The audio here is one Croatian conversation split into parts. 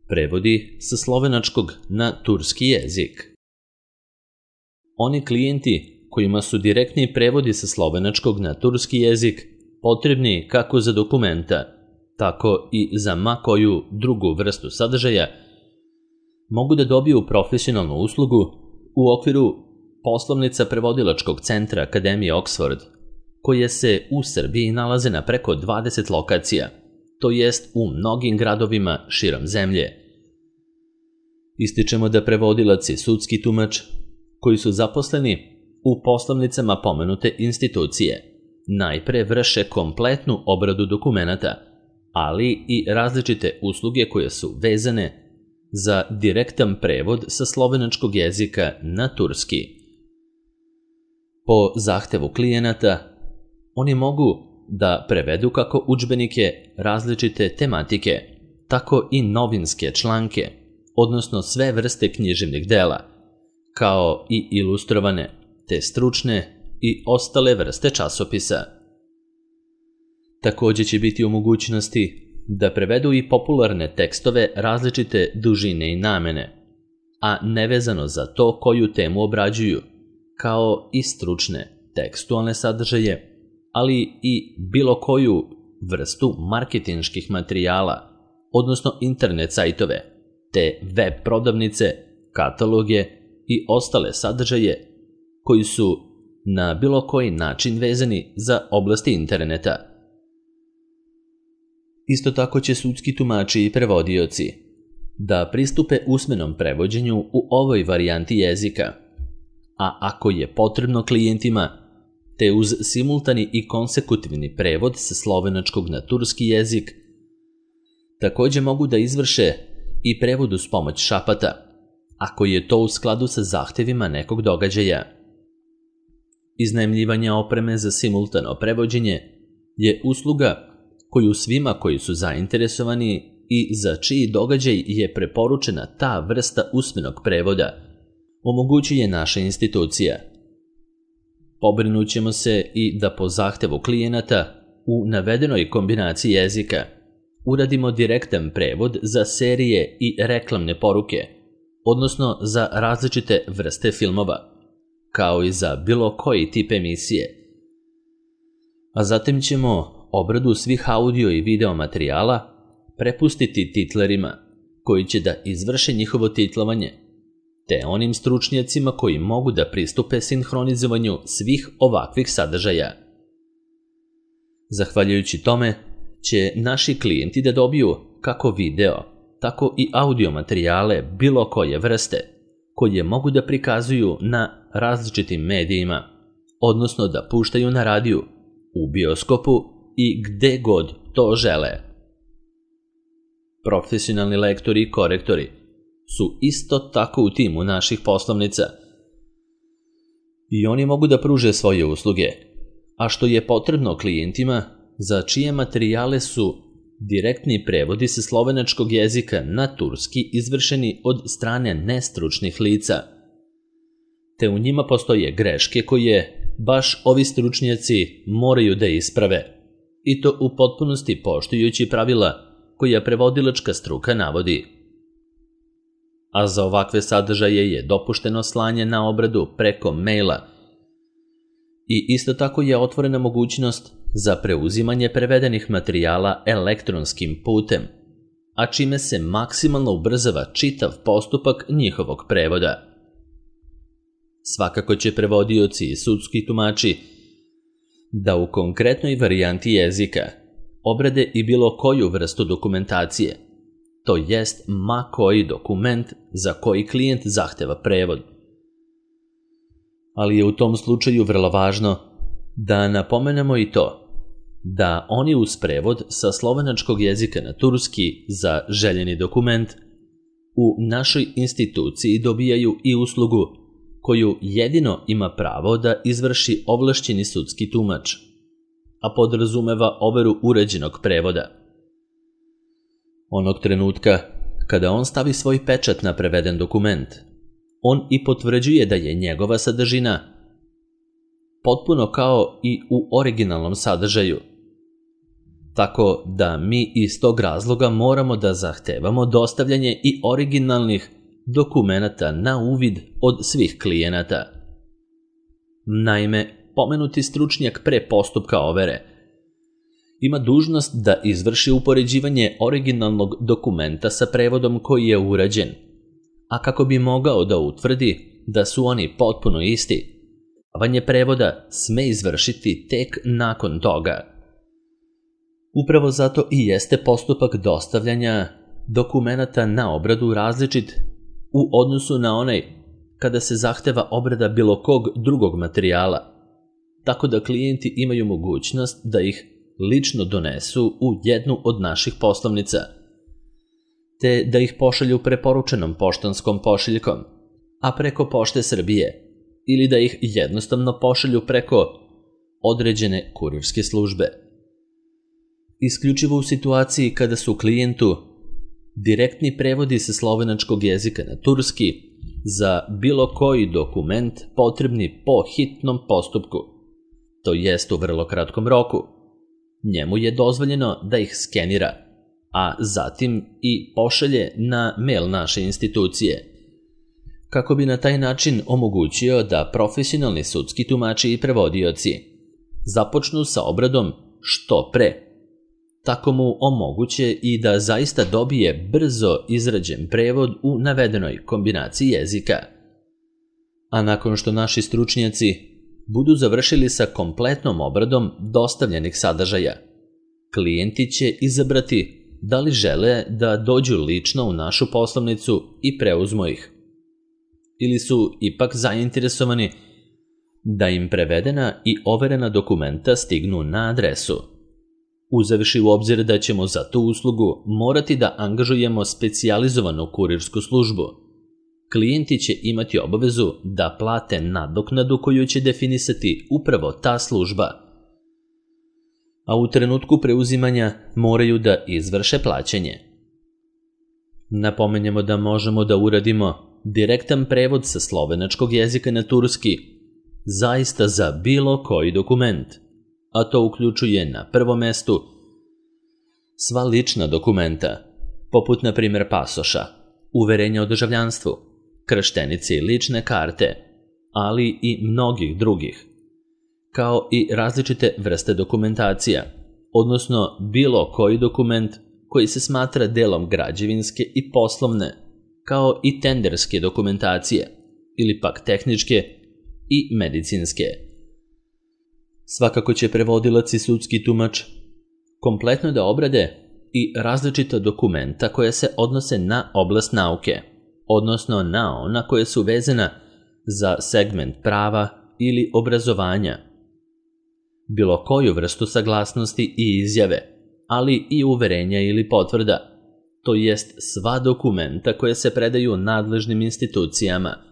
prevodi sa slovenačkog na turski jezik. Oni klijenti kojima su direktni prevodi sa slovenačkog na turski jezik potrebni kako za dokumenta, tako i za ma koju drugu vrstu sadržaja, mogu da dobiju profesionalnu uslugu u okviru poslovnica prevodilačkog centra Akademije Oxford, koje se u Srbiji nalaze na preko 20 lokacija, to jest u mnogim gradovima širom zemlje. Ističemo da prevodilac i sudski tumač, koji su zaposleni u poslovnicama pomenute institucije, najpre vrše kompletnu obradu dokumenata, ali i različite usluge koje su vezane za direktan prevod sa slovenačkog jezika na turski. Po zahtevu klijenata, oni mogu da prevedu kako udžbenike različite tematike, tako i novinske članke, odnosno sve vrste književnih dela, kao i ilustrovane, te stručne i ostale vrste časopisa. Također će biti u mogućnosti da prevedu i popularne tekstove različite dužine i namene, a nevezano za to koju temu obrađuju, kao i stručne tekstualne sadržaje, ali i bilo koju vrstu marketinških materijala, odnosno internet sajtove, te web prodavnice, kataloge i ostale sadržaje koji su na bilo koji način vezani za oblasti interneta. Isto tako će sudski tumači i prevodioci da pristupe usmenom prevođenju u ovoj varijanti jezika, a ako je potrebno klijentima, te uz simultani i konsekutivni prevod sa slovenačkog na turski jezik, također mogu da izvrše i prevod uz pomoć šapata, ako je to u skladu sa zahtevima nekog događaja. Iznajmljivanje opreme za simultano prevođenje je usluga koju svima koji su zainteresovani i za čiji događaj je preporučena ta vrsta usmenog prevoda omogućuje naša institucija. Pobrinut ćemo se i da po zahtevu klijenata u navedenoj kombinaciji jezika uradimo direktan prevod za serije i reklamne poruke, odnosno za različite vrste filmova, kao i za bilo koji tip emisije. A zatim ćemo obradu svih audio i video materijala prepustiti titlerima koji će da izvrše njihovo titlovanje, te onim stručnjacima koji mogu da pristupe sinhronizovanju svih ovakvih sadržaja. Zahvaljujući tome će naši klijenti da dobiju kako video, tako i audio materijale bilo koje vrste, koje mogu da prikazuju na različitim medijima, odnosno da puštaju na radiju, u bioskopu i gde god to žele. Profesionalni lektori i korektori su isto tako u timu naših poslovnica i oni mogu da pruže svoje usluge, a što je potrebno klijentima za čije materijale su direktni prevodi sa slovenačkog jezika na turski izvršeni od strane nestručnih lica, te u njima postoje greške koje baš ovi stručnjaci moraju da isprave, i to u potpunosti poštujući pravila koja prevodilačka struka navodi. A za ovakve sadržaje je dopušteno slanje na obradu preko maila i isto tako je otvorena mogućnost za preuzimanje prevedenih materijala elektronskim putem, a čime se maksimalno ubrzava čitav postupak njihovog prevoda. Svakako će prevodioci i sudski tumači da u konkretnoj varijanti jezika obrade i bilo koju vrstu dokumentacije, to jest ma koji dokument za koji klijent zahteva prevod. Ali je u tom slučaju vrlo važno da napomenemo i to da oni uz prevod sa slovenačkog jezika na turski za željeni dokument u našoj instituciji dobijaju i uslugu koju jedino ima pravo da izvrši ovlašćeni sudski tumač, a podrazumeva overu uređenog prevoda. Onog trenutka kada on stavi svoj pečat na preveden dokument, on i potvrđuje da je njegova sadržina potpuno kao i u originalnom sadržaju, tako da mi iz tog razloga moramo da zahtevamo dostavljanje i originalnih dokumenata na uvid od svih klijenata. Naime, pomenuti stručnjak pre postupka overe ima dužnost da izvrši upoređivanje originalnog dokumenta sa prevodom koji je urađen, a kako bi mogao da utvrdi da su oni potpuno isti, davanje prevoda sme izvršiti tek nakon toga. Upravo zato i jeste postupak dostavljanja dokumenata na obradu različit u odnosu na onaj kada se zahteva obrada bilo kog drugog materijala, tako da klijenti imaju mogućnost da ih lično donesu u jednu od naših poslovnica, te da ih pošalju preporučenom poštanskom pošiljkom, a preko Pošte Srbije, ili da ih jednostavno pošalju preko određene kurirske službe. Isključivo u situaciji kada su klijentu direktni prevodi sa slovenačkog jezika na turski za bilo koji dokument potrebni po hitnom postupku, to jest u vrlo kratkom roku, njemu je dozvoljeno da ih skenira, a zatim i pošalje na mail naše institucije, kako bi na taj način omogućio da profesionalni sudski tumači i prevodioci započnu sa obradom što pre. Tako mu omoguće i da zaista dobije brzo izrađen prevod u navedenoj kombinaciji jezika. A nakon što naši stručnjaci budu završili sa kompletnom obradom dostavljenih sadržaja, klijenti će izabrati da li žele da dođu lično u našu poslovnicu i preuzmu ih, ili su ipak zainteresovani da im prevedena i overena dokumenta stignu na adresu. Uzevši u obzir da ćemo za tu uslugu morati da angažujemo specijalizovanu kurirsku službu, klijenti će imati obavezu da plate nadoknadu koju će definisati upravo ta služba, a u trenutku preuzimanja moraju da izvrše plaćanje. Napomenjemo da možemo da uradimo direktan prevod sa slovenačkog jezika na turski zaista za bilo koji dokument, a to uključuje na prvom mestu sva lična dokumenta, poput na primjer pasoša, uverenja o državljanstvu, krštenice i lične karte, ali i mnogih drugih, kao i različite vrste dokumentacija, odnosno bilo koji dokument koji se smatra delom građevinske i poslovne, kao i tenderske dokumentacije, ili pak tehničke i medicinske. Svakako će prevodilac i sudski tumač kompletno da obrade i različita dokumenta koja se odnose na oblast nauke, odnosno na ona koja su vezana za segment prava ili obrazovanja, bilo koju vrstu saglasnosti i izjave, ali i uverenja ili potvrda, to jest sva dokumenta koje se predaju nadležnim institucijama.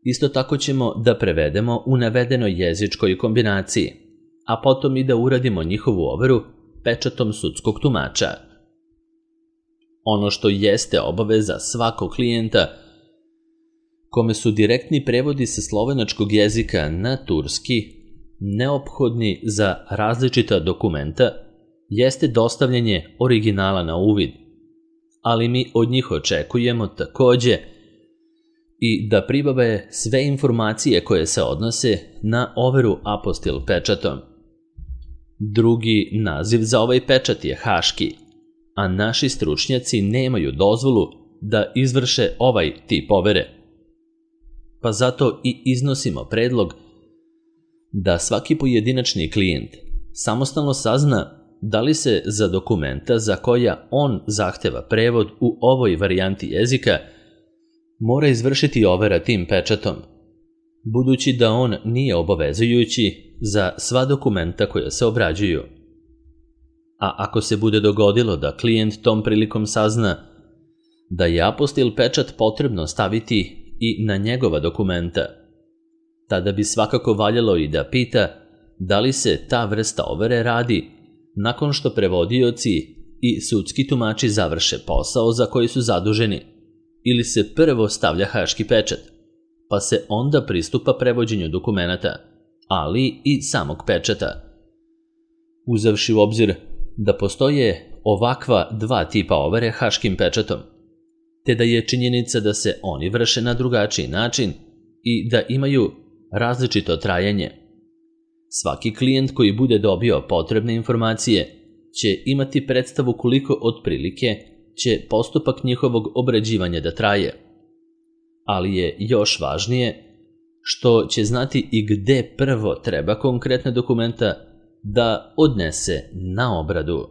Isto tako ćemo da prevedemo u navedenoj jezičkoj kombinaciji, a potom i da uradimo njihovu overu pečatom sudskog tumača. Ono što jeste obaveza svakog klijenta kome su direktni prevodi sa slovenačkog jezika na turski neophodni za različita dokumenta, jeste dostavljanje originala na uvid, ali mi od njih očekujemo takođe i da pribave sve informacije koje se odnose na overu apostil pečatom. Drugi naziv za ovaj pečat je haški, a naši stručnjaci nemaju dozvolu da izvrše ovaj tip overe. Pa zato i iznosimo predlog da svaki pojedinačni klijent samostalno sazna da li se za dokumenta za koja on zahteva prevod u ovoj varijanti jezika mora izvršiti overa tim pečatom, budući da on nije obavezujući za sva dokumenta koja se obrađuju. A ako se bude dogodilo da klijent tom prilikom sazna da je apostil pečat potrebno staviti i na njegova dokumenta, tada bi svakako valjalo i da pita da li se ta vrsta overe radi nakon što prevodioci i sudski tumači završe posao za koji su zaduženi, ili se prvo stavlja haški pečat, pa se onda pristupa prevođenju dokumenata, ali i samog pečata. Uzevši u obzir da postoje ovakva dva tipa overe haškim pečatom, te da je činjenica da se oni vrše na drugačiji način i da imaju različito trajanje. Svaki klijent koji bude dobio potrebne informacije će imati predstavu koliko otprilike će postupak njihovog obrađivanja da traje. Ali je još važnije što će znati i gde prvo treba konkretne dokumenta da odnese na obradu.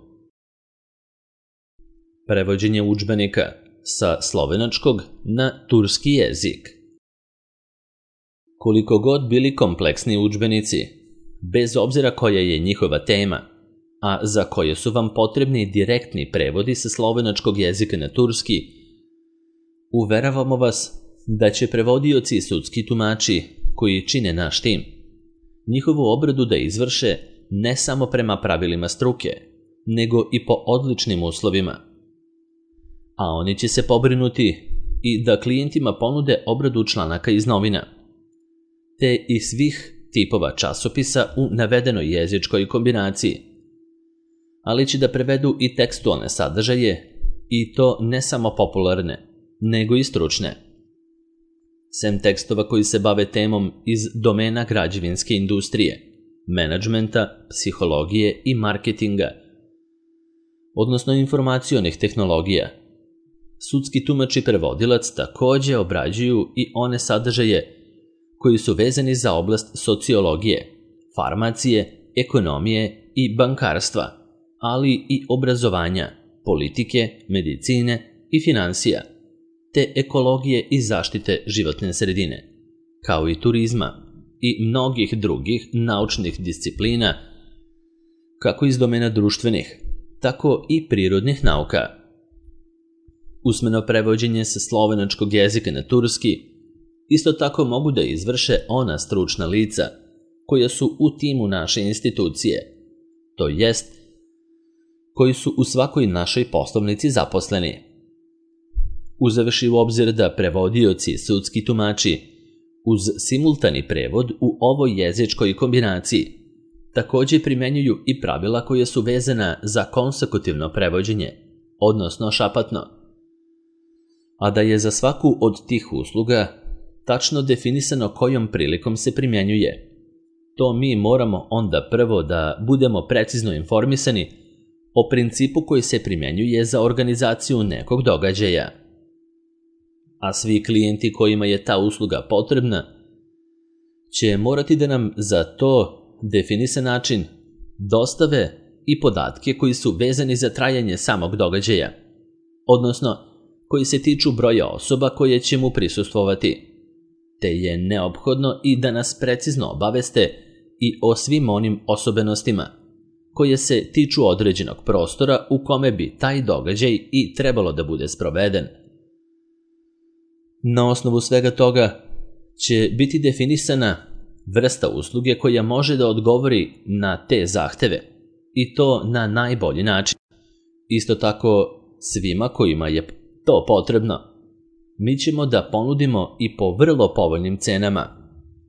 Prevođenje udžbenika sa slovenačkog na turski jezik. Koliko god bili kompleksni udžbenici, bez obzira koja je njihova tema, a za koje su vam potrebni direktni prevodi sa slovenačkog jezika na turski, uveravamo vas da će prevodioci i sudski tumači koji čine naš tim njihovu obradu da izvrše ne samo prema pravilima struke, nego i po odličnim uslovima. A oni će se pobrinuti i da klijentima ponude obradu članaka iz novina, te i svih tipova časopisa u navedenoj jezičkoj kombinaciji, ali će da prevedu i tekstualne sadržaje, i to ne samo popularne, nego i stručne. Sem tekstova koji se bave temom iz domena građevinske industrije, menadžmenta, psihologije i marketinga, odnosno informacionih tehnologija, sudski tumač i prevodilac takođe obrađuju i one sadržaje koji su vezani za oblast sociologije, farmacije, ekonomije i bankarstva, ali i obrazovanja, politike, medicine i finansija, te ekologije i zaštite životne sredine, kao i turizma i mnogih drugih naučnih disciplina, kako iz domena društvenih, tako i prirodnih nauka. Usmeno prevođenje sa slovenačkog jezika na turski isto tako mogu da izvrše ona stručna lica koja su u timu naše institucije, to jest koji su u svakoj našoj poslovnici zaposleni. Uzevši u obzir da prevodioci i sudski tumači uz simultani prevod u ovoj jezičkoj kombinaciji takođe primenjuju i pravila koja su vezana za konsekutivno prevođenje, odnosno šapatno, a da je za svaku od tih usluga tačno definisano kojom prilikom se primjenjuje. To mi moramo onda prvo da budemo precizno informisani o principu koji se primjenjuje za organizaciju nekog događaja. A svi klijenti kojima je ta usluga potrebna će morati da nam za to definisan način dostave i podatke koji su vezani za trajanje samog događaja, odnosno koji se tiču broja osoba koje će mu prisustvovati, te je neophodno i da nas precizno obaveste i o svim onim osobenostima koje se tiču određenog prostora u kome bi taj događaj i trebalo da bude sproveden. Na osnovu svega toga će biti definisana vrsta usluge koja može da odgovori na te zahteve, i to na najbolji način. Isto tako, svima kojima je to potrebno, mi ćemo da ponudimo i po vrlo povoljnim cenama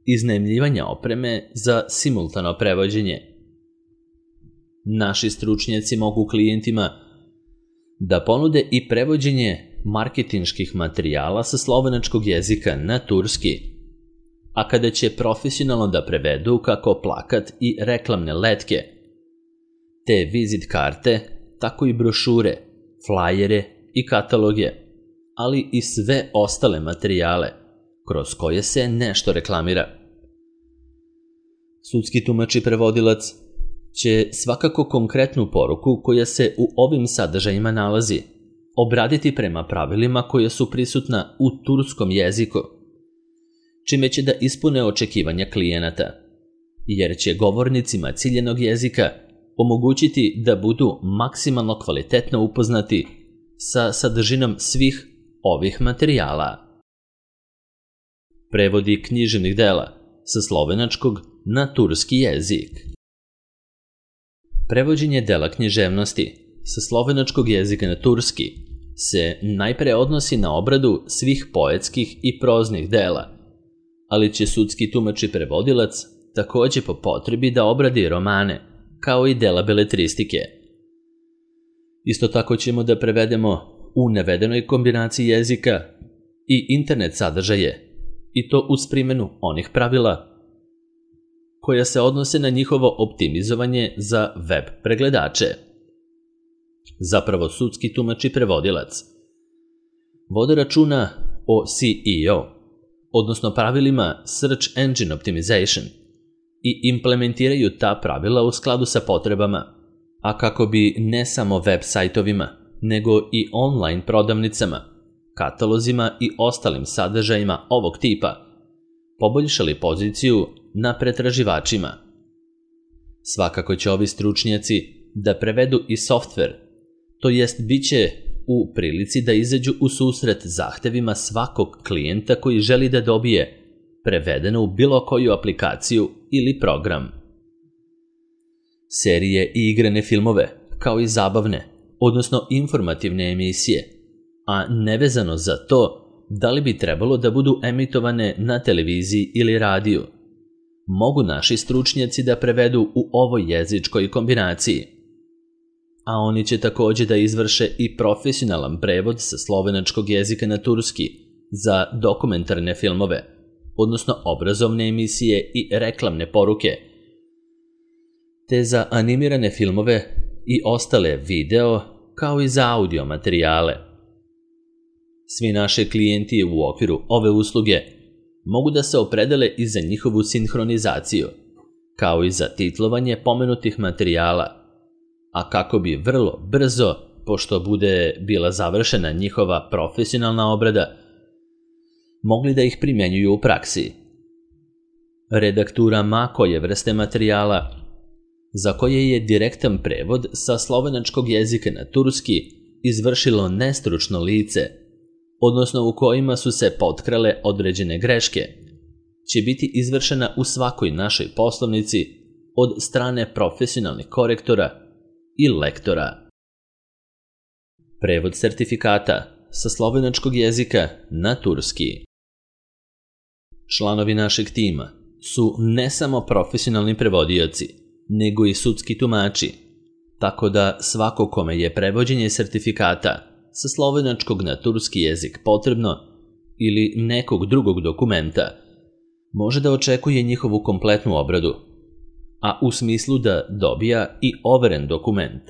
iznajmljivanja opreme za simultano prevođenje. Naši stručnjaci mogu klijentima da ponude i prevođenje marketinških materijala sa slovenačkog jezika na turski, a kada će profesionalno da prevedu kako plakat i reklamne letke, te vizit karte, tako i brošure, flajere i kataloge, ali i sve ostale materijale kroz koje se nešto reklamira. Sudski tumač i prevodilac će svakako konkretnu poruku koja se u ovim sadržajima nalazi obraditi prema pravilima koja su prisutna u turskom jeziku, čime će da ispune očekivanja klijenata, jer će govornicima ciljenog jezika omogućiti da budu maksimalno kvalitetno upoznati sa sadržinom svih ovih materijala. Prevodi književnih dela sa slovenačkog na turski jezik. Prevođenje dela književnosti sa slovenačkog jezika na turski se najpre odnosi na obradu svih poetskih i proznih dela, ali će sudski tumač i prevodilac takođe po potrebi da obradi romane, kao i dela beletristike. Isto tako ćemo da prevedemo u navedenoj kombinaciji jezika i internet sadržaje, i to uz primjenu onih pravila koja se odnose na njihovo optimizovanje za web pregledače. Zapravo sudski tumač i prevodilac vode računa o SEO, odnosno pravilima Search Engine Optimization, i implementiraju ta pravila u skladu sa potrebama, a kako bi ne samo web sajtovima, nego i online prodavnicama, katalozima i ostalim sadržajima ovog tipa poboljšali poziciju na pretraživačima. Svakako će ovi stručnjaci da prevedu i softver, to jest bit će u prilici da izađu u susret zahtevima svakog klijenta koji želi da dobije prevedeno u bilo koju aplikaciju ili program. Serije i igrane filmove, kao i zabavne, odnosno informativne emisije, a nevezano za to da li bi trebalo da budu emitovane na televiziji ili radiju, mogu naši stručnjaci da prevedu u ovoj jezičkoj kombinaciji. A oni će također da izvrše i profesionalan prevod sa slovenačkog jezika na turski za dokumentarne filmove, odnosno obrazovne emisije i reklamne poruke, te za animirane filmove i ostale video, kao i za audio materijale. Svi naši klijenti u okviru ove usluge mogu da se opredele i za njihovu sinhronizaciju, kao i za titlovanje pomenutih materijala, a kako bi vrlo brzo, pošto bude bila završena njihova profesionalna obrada, mogli da ih primjenjuju u praksi. Redaktura ma koje vrste materijala, za koje je direktan prevod sa slovenačkog jezika na turski izvršilo nestručno lice, odnosno u kojima su se potkrale određene greške, će biti izvršena u svakoj našoj poslovnici od strane profesionalnih korektora i lektora. Prevod sertifikata sa slovenačkog jezika na turski. Članovi našeg tima su ne samo profesionalni prevodioci, nego i sudski tumači, tako da svako kome je prevođenje sertifikata sa slovenačkog na turski jezik potrebno ili nekog drugog dokumenta, može da očekuje njihovu kompletnu obradu, a u smislu da dobija i overen dokument.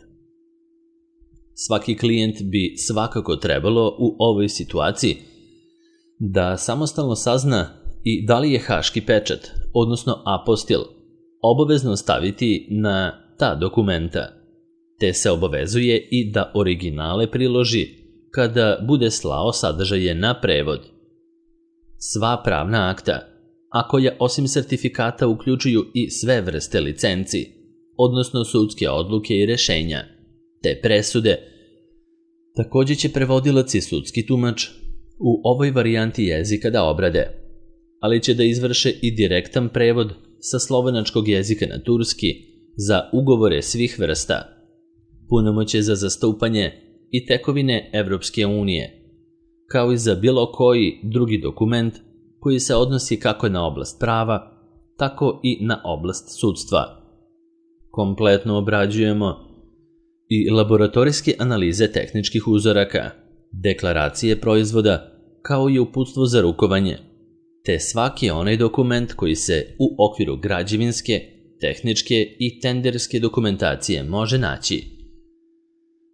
Svaki klijent bi svakako trebalo u ovoj situaciji da samostalno sazna i da li je haški pečat, odnosno apostil, obavezno staviti na ta dokumenta, te se obavezuje i da originale priloži kada bude slao sadržaje na prevod. Sva pravna akta, a koja osim sertifikata uključuju i sve vrste licenci, odnosno sudske odluke i rešenja, te presude, također će prevodilac i sudski tumač u ovoj varijanti jezika da obrade, ali će da izvrše i direktan prevod sa slovenačkog jezika na turski za ugovore svih vrsta, punomoćje za zastupanje i tekovine Evropske unije, kao i za bilo koji drugi dokument koji se odnosi kako na oblast prava, tako i na oblast sudstva. Kompletno obrađujemo i laboratorijske analize tehničkih uzoraka, deklaracije proizvoda, kao i uputstvo za rukovanje, te svaki onaj dokument koji se u okviru građevinske, tehničke i tenderske dokumentacije može naći.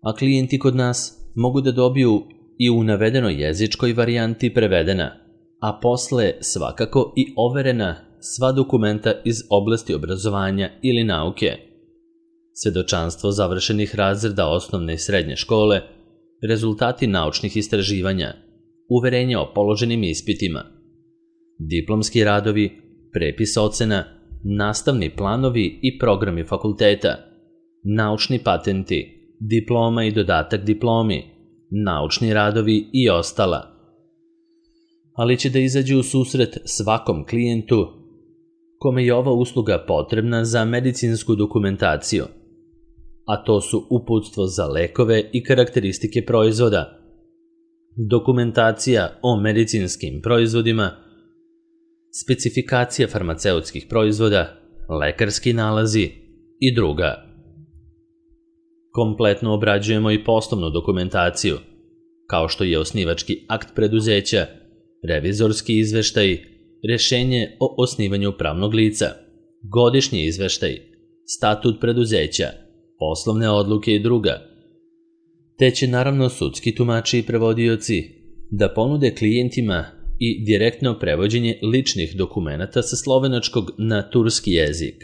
A klijenti kod nas mogu da dobiju i u navedenoj jezičkoj varijanti prevedena, a posle svakako i overena sva dokumenta iz oblasti obrazovanja ili nauke, svedočanstvo završenih razreda osnovne i srednje škole, rezultati naučnih istraživanja, uverenje o položenim ispitima, diplomski radovi, prepis ocena, nastavni planovi i programi fakulteta, naučni patenti, diploma i dodatak diplomi, naučni radovi i ostala. Ali će da izađu u susret svakom klijentu kome je ova usluga potrebna za medicinsku dokumentaciju, a to su uputstvo za lekove i karakteristike proizvoda, dokumentacija o medicinskim proizvodima, specifikacija farmaceutskih proizvoda, lekarski nalazi i druga. Kompletno obrađujemo i poslovnu dokumentaciju, kao što je osnivački akt preduzeća, revizorski izveštaj, rješenje o osnivanju pravnog lica, godišnji izveštaj, statut preduzeća, poslovne odluke i druga, te će naravno sudski tumači i prevodioci da ponude klijentima i direktno prevođenje ličnih dokumenata sa slovenačkog na turski jezik.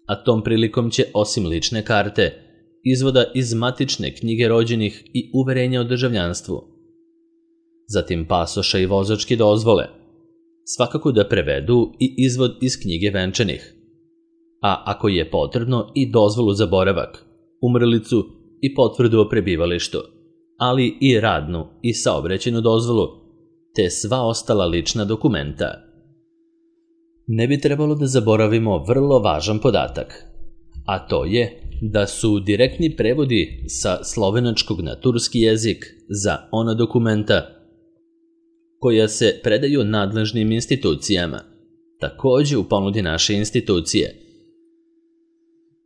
A tom prilikom će osim lične karte, izvoda iz matične knjige rođenih i uverenja o državljanstvu, zatim pasoša i vozačke dozvole, svakako da prevedu i izvod iz knjige venčanih, a ako je potrebno i dozvolu za boravak, umrlicu i potvrdu o prebivalištu, ali i radnu i saobraćajnu dozvolu, te sva ostala lična dokumenta. Ne bi trebalo da zaboravimo vrlo važan podatak, a to je da su direktni prevodi sa slovenačkog na turski jezik za ona dokumenta koja se predaju nadležnim institucijama, također u ponudi naše institucije.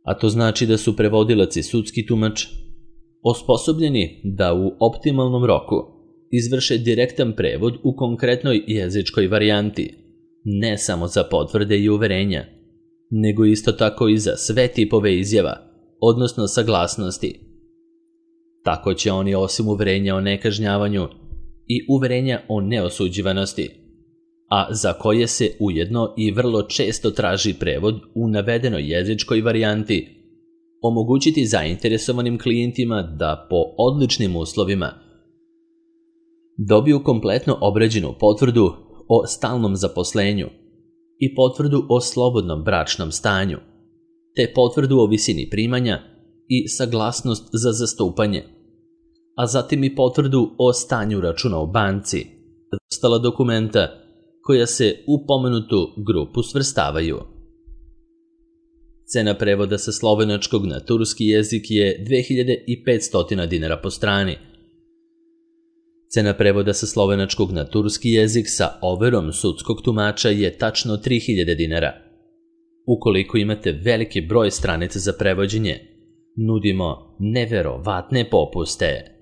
A to znači da su prevodilac i sudski tumač osposobljeni da u optimalnom roku izvrše direktan prevod u konkretnoj jezičkoj varijanti, ne samo za potvrde i uverenja, nego isto tako i za sve tipove izjava, odnosno saglasnosti. Tako će oni osim uverenja o nekažnjavanju i uverenja o neosuđivanosti, a za koje se ujedno i vrlo često traži prevod u navedenoj jezičkoj varijanti, omogućiti zainteresovanim klijentima da po odličnim uslovima dobiju kompletno obrađenu potvrdu o stalnom zaposlenju i potvrdu o slobodnom bračnom stanju, te potvrdu o visini primanja i saglasnost za zastupanje, a zatim i potvrdu o stanju računa u banci, ostala dokumenta koja se u pomenutu grupu svrstavaju. Cena prevoda sa slovenačkog na turski jezik je 2500 dinara po strani. Cena prevoda sa slovenačkog na turski jezik sa overom sudskog tumača je tačno 3000 dinara. Ukoliko imate veliki broj stranica za prevođenje, nudimo neverovatne popuste.